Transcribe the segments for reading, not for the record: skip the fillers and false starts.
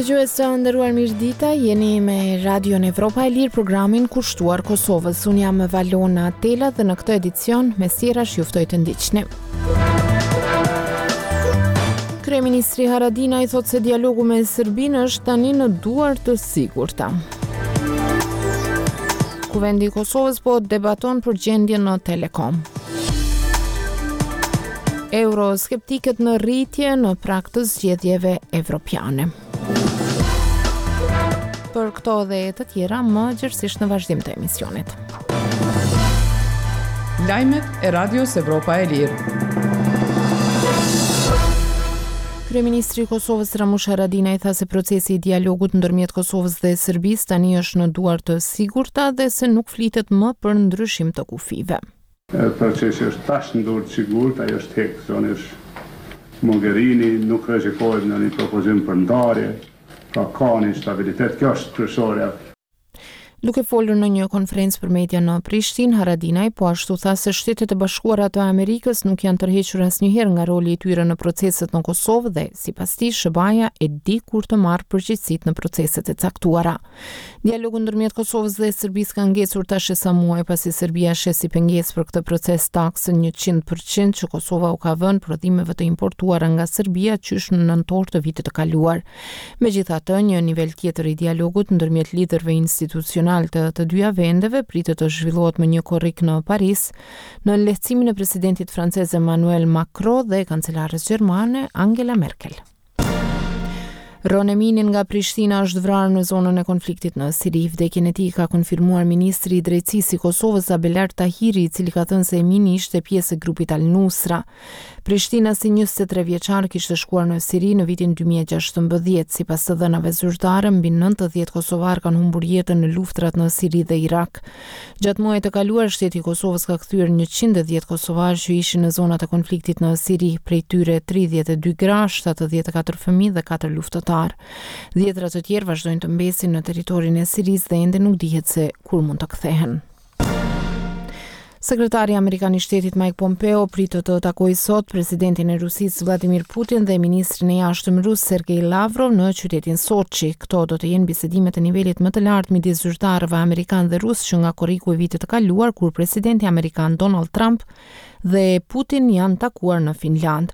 Dëgjues të nderuar mirëdita, jeni me Radion Evropa e Lirë programin kushtuar Kosovës. Unë jam Valona Tela dhe në këtë edicion mes tjerash ju ftoj të ndiqni. Kryeministri Haradinaj thotë se dialogu me Serbinë është tani në duar të sigurta. Kuvendi i Kosovës po debaton për gjendjen në Telekom. Euroskeptikët në rritje në prag të zgjedhjeve evropiane. Për këto dhe të tjera më gjerësisht në vazhdim të emisionit. Lajmet e Radios Evropa e Lirë. Kryeministri i Kosovës Ramush Haradinaj tha se procesi i dialogut ndërmjet Kosovës dhe Serbisë tani është në duar të sigurta dhe se nuk flitet më për ndryshim të kufijve. Procesi është tash në dorë të sigurt, ajo është hek, zonjës Mogherini, nuk rrezikohet ndonjë propozim për ndarje, pra ka një stabilitet, kjo është kryesorja. Duke folur në një konferencë për media në Prishtinë, Haradinaj po ashtu tha se Shtetet e Bashkuara të Amerikës nuk janë tërhequr asnjëherë nga roli i tyre në proceset në Kosovë dhe, sipas tij, SHBA-ja e di kur të marrë përgjegjësitë në proceset e caktuara. Dialogu ndërmjet Kosovës dhe Serbisë ka ngecur tash e sa muaj pasi Serbia sheh si pengesë për këtë proces taksën 100% që Kosova u ka vënë prodhimeve të importuara nga Serbia qysh në nëntor të vitit të kaluar. Megjithatë, një nivel tjetër i dialogut ndërmjet liderëve institucionalë të të dyja vendeve pritet të zhvillohet më 1 korrik në Paris, nën lehtësimin e presidentit francez Emmanuel Macron dhe kancelares gjermane Angela Merkel. Rron Emini nga Prishtina është vrarë në zonën e konfliktit në Siri. Vdekjen e tij ka konfirmuar ministri i Drejtësisë i Kosovës, Abelard Tahiri, i cili ka thënë se Emini ishte pjesë e grupit Al-Nusra. Prishtinasi 23 vjeçar kishte shkuar në Siri në vitin 2016. Sipas të dhënave zyrtare, mbi 90 kosovarë kanë humbur jetën në luftrat në Siri dhe Irak. Gjatë muajit të kaluar, shteti i Kosovës ka kthyer 110 kosovarë që ishin në zonat e konfliktit në Siri, prej tyre 32 gra, 74 fëmijë dhe 4 luftëtarë. Dhjetëra të tjerë vazhdojnë të mbesin në territorin e Sirisë dhe ende nuk dihet se kur mund të kthehen. Sekretari amerikan i shtetit Mike Pompeo pritet të takojë sot presidentin e Rusisë Vladimir Putin dhe ministrin e jashtëm rus Sergei Lavrov në qytetin Sochi. Këto do të jenë bisedimet e nivelit më të lartë midis zyrtarëve amerikanë dhe rusë që nga korriku i vitit të kaluar kur presidenti amerikan Donald Trump dhe Putin janë takuar në Finlandë.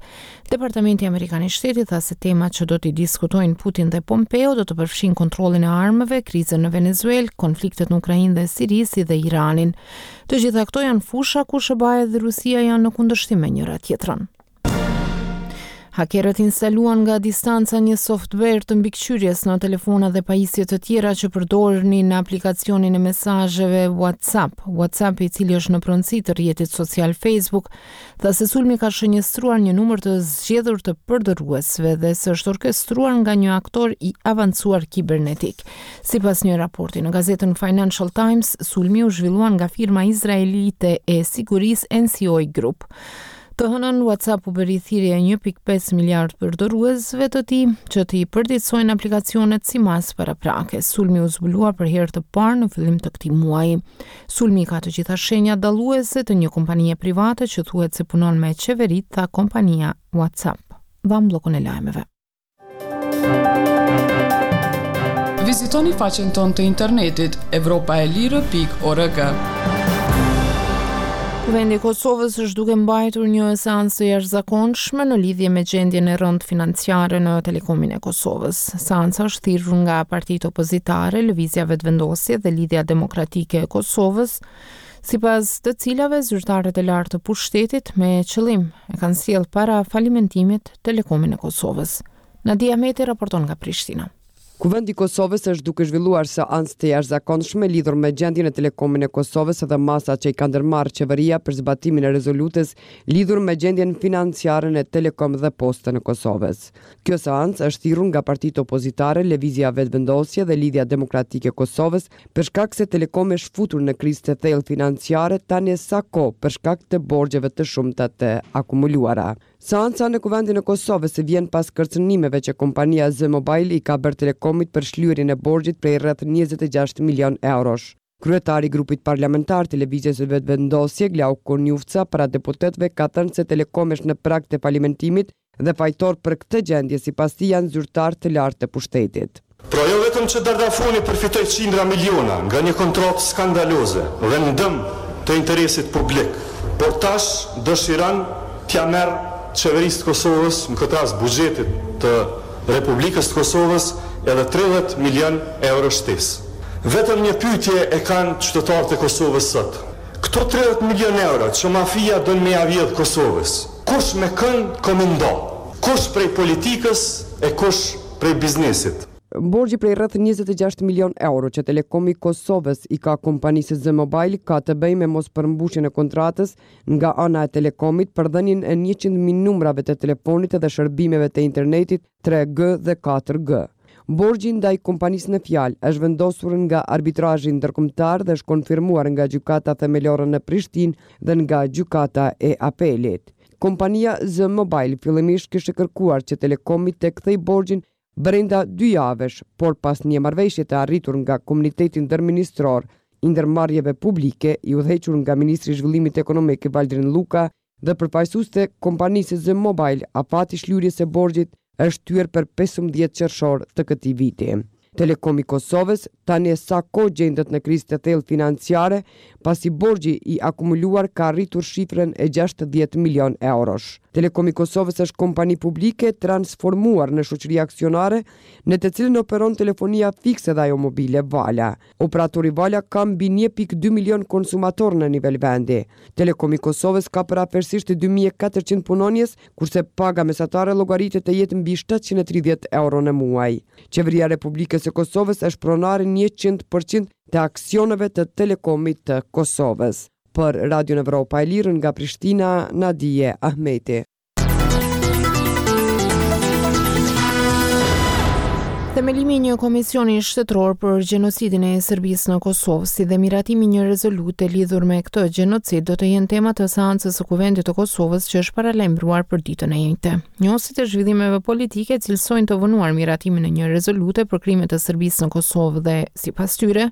Departamenti Amerikan i Shtetit tha se temat që do t'i diskutojnë Putin dhe Pompeo do të përfshijnë kontrollin e armëve, krizën në Venezuelë, konfliktet në Ukrainë dhe Siri, si dhe Iranin. Të gjitha këto janë fusha ku SHBA-ja dhe Rusia janë në kundërshtim me njëra-tjetrën. Hakerët instaluan nga distanca një software të mbikëqyrjes në telefona dhe pajisje të tjera që përdornin aplikacionin e mesazheve WhatsApp. WhatsApp, i cili është në pronësi të rrjetit social Facebook, tha se sulmi ka shënjestruar një numër të zgjedhur të përdoruesve dhe se është orkestruar nga një aktor i avancuar kibernetik. Sipas një raporti në gazetën Financial Times, sulmi u zhvillua nga firma izraelite e sigurisë NCO Group. Të hënën, WhatsApp u bëri thirrje 1.5 miliard përdoruesve të tij që t'i përditësojnë aplikacionet si masë paraprake. Sulmi u zbulua për herë të parë në fillim të këtij muaji. Sulmi ka të gjitha shenjat dalluese të një kompanie private që thuhet se punon me qeveritë, tha kompania WhatsApp. Dhamë bllokun e lajmeve. Vizitoni faqen tonë të internetit evropaelire.org. Kuvendi i Kosovës është duke mbajtur një seancë të jashtëzakonshme në lidhje me gjendjen e rëndë financiare në Telekomin e Kosovës. Seanca është thirrur nga partitë opozitare, Lëvizja Vetëvendosje dhe Lidhja Demokratike e Kosovës, sipas të cilave zyrtarët e lartë të pushtetit me qëllim e kanë sjellë para falimentimit Telekomin e Kosovës. Nadia Ahmeti raporton nga Prishtina. Kuvendi i Kosovës është duke zhvilluar seancë të jashtëzakonshme lidhur me gjendjen në Telekomin e Kosovës dhe masat që i ka ndërmarrë Qeveria për zbatimin e rezolutës lidhur me gjendjen financiare në Telekom dhe Postën e Kosovës. Kjo seancë është thirrur nga partitë opozitare Lëvizja Vetëvendosje dhe Lidhja Demokratike e Kosovës për shkak se Telekomi është futur në krizë të thellë financiare tani e sa kohë për shkak të borxheve të shumta të akumuluara. Seanca në Kuvendin e Kosovës vjen pas kërcënimeve që kompania Z-Mobile i ka bërë Telekomit për shlyerjen e borxhit prej rreth 26 milionë eurosh. Kryetari i grupit parlamentar të Lëvizjes Vetëvendosje, Glauk Konjufca, para deputetëve ka thënë se Telekomi është në prag të falimentimit. Dhe fajtor për këtë gjendje sipas tij janë zyrtarë të lartë të pushtetit. Pra jo vetëm që Dardafoni përfitoi qindra miliona nga një kontratë skandaloze dhe në dëm të interesit publik, por tash dëshiron t'ia merr Qeverisë të Kosovës, në këtë rast buxhetit të Republikës të Kosovës edhe 30 milionë euro shtesë. Vetëm një pyetje e kanë qytetarët e Kosovës sot, këto 30 milionë euro që mafia don me ia vjedhë Kosovës, Kush me kënd ka me nda? Kush prej politikës e kush prej biznesit? Borxhi prej rreth 26 milionë euro që Telekomi i Kosovës i ka kompanisë Z-Mobile ka të bëjë me mospërmbushjen e kontratës nga ana e Telekomit për dhënien e 100.000 numrave të telefonit dhe shërbimeve të internetit 3G dhe 4G. Borxhi ndaj kompanisë në fjalë është vendosur nga Arbitrazhi Ndërkombëtar dhe është konfirmuar nga Gjykata Themelore në Prishtinë dhe nga Gjykata e Apelit. Kompania Z-Mobile fillimisht kishte kërkuar që Telekomi të kthejë borxhin brenda dy javësh, por pas një marrëveshje të arritur nga Komuniteti Ndërministror i Ndërmarrjeve Publike, i udhëhequr nga ministri i Zhvillimit Ekonomik Valdrin Lluka, dhe përfaqësues të kompanisë Z-Mobile, afati i shlyerjes së borxhit është shtyrë për 15 qershor të këtij viti. Telekomi i Kosovës tani e sa kohë gjendet në krizë të thellë financiare, pasi borxhi i akumuluar ka arritur shifrën e 60 milion eurosh. Telekomi i Kosovës është kompani publike transformuar në shoqëri aksionare, në të cilën operon telefonia fikse dhe ajo mobile Vala. Operatori Vala ka mbi 1.2 milion konsumatorë në nivel vendi. Telekomi i Kosovës ka përafërsisht 2400 punonjës, kurse paga mesatare llogaritet të jetë mbi 730 euro në muaj. Qeveria e Republikës së Kosovës është pronare 100% të aksioneve të Telekomit të Kosovës. Për Radion Evropa e Lirë nga Prishtina, Nadije Ahmeti. Themelimi i një komisioni shtetëror për gjenocidin e Serbisë në Kosovë, si dhe miratimi i një rezolute lidhur me këtë gjenocid do të jenë tema të seancës së Kuvendit të Kosovës që është paralajmëruar për ditën e enjte. Njohësit e zhvillimeve politike cilësojnë të vonuar miratimin e një rezolute për krimet e Serbisë në Kosovë dhe, sipas tyre,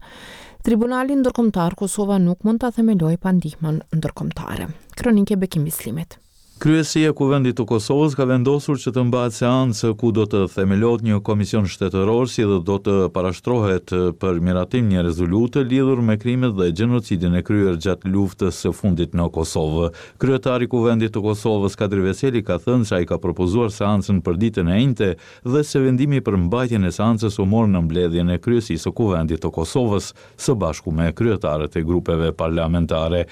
Tribunalin Ndërkombëtar Kosova nuk mund ta themelojë pa ndihmën ndërkombëtare. Kronikë e Bekim Bislimit. Kryesia e Kuvendit të Kosovës ka vendosur që të mbahet seancë ku do të themelohet një komision shtetëror si dhe do të parashtrohet për miratim një rezolutë lidhur me krimet dhe gjenocidin e kryer gjatë luftës së fundit në Kosovë. Kryetari i Kuvendit të Kosovës, Kadri Veseli ka thënë se ai ka propozuar seancën për ditën e enjte dhe se vendimi për mbajtjen e seancës u mor në mbledhjen e Kryesisë së Kuvendit të Kosovës së bashku me kryetarët e grupeve parlamentare.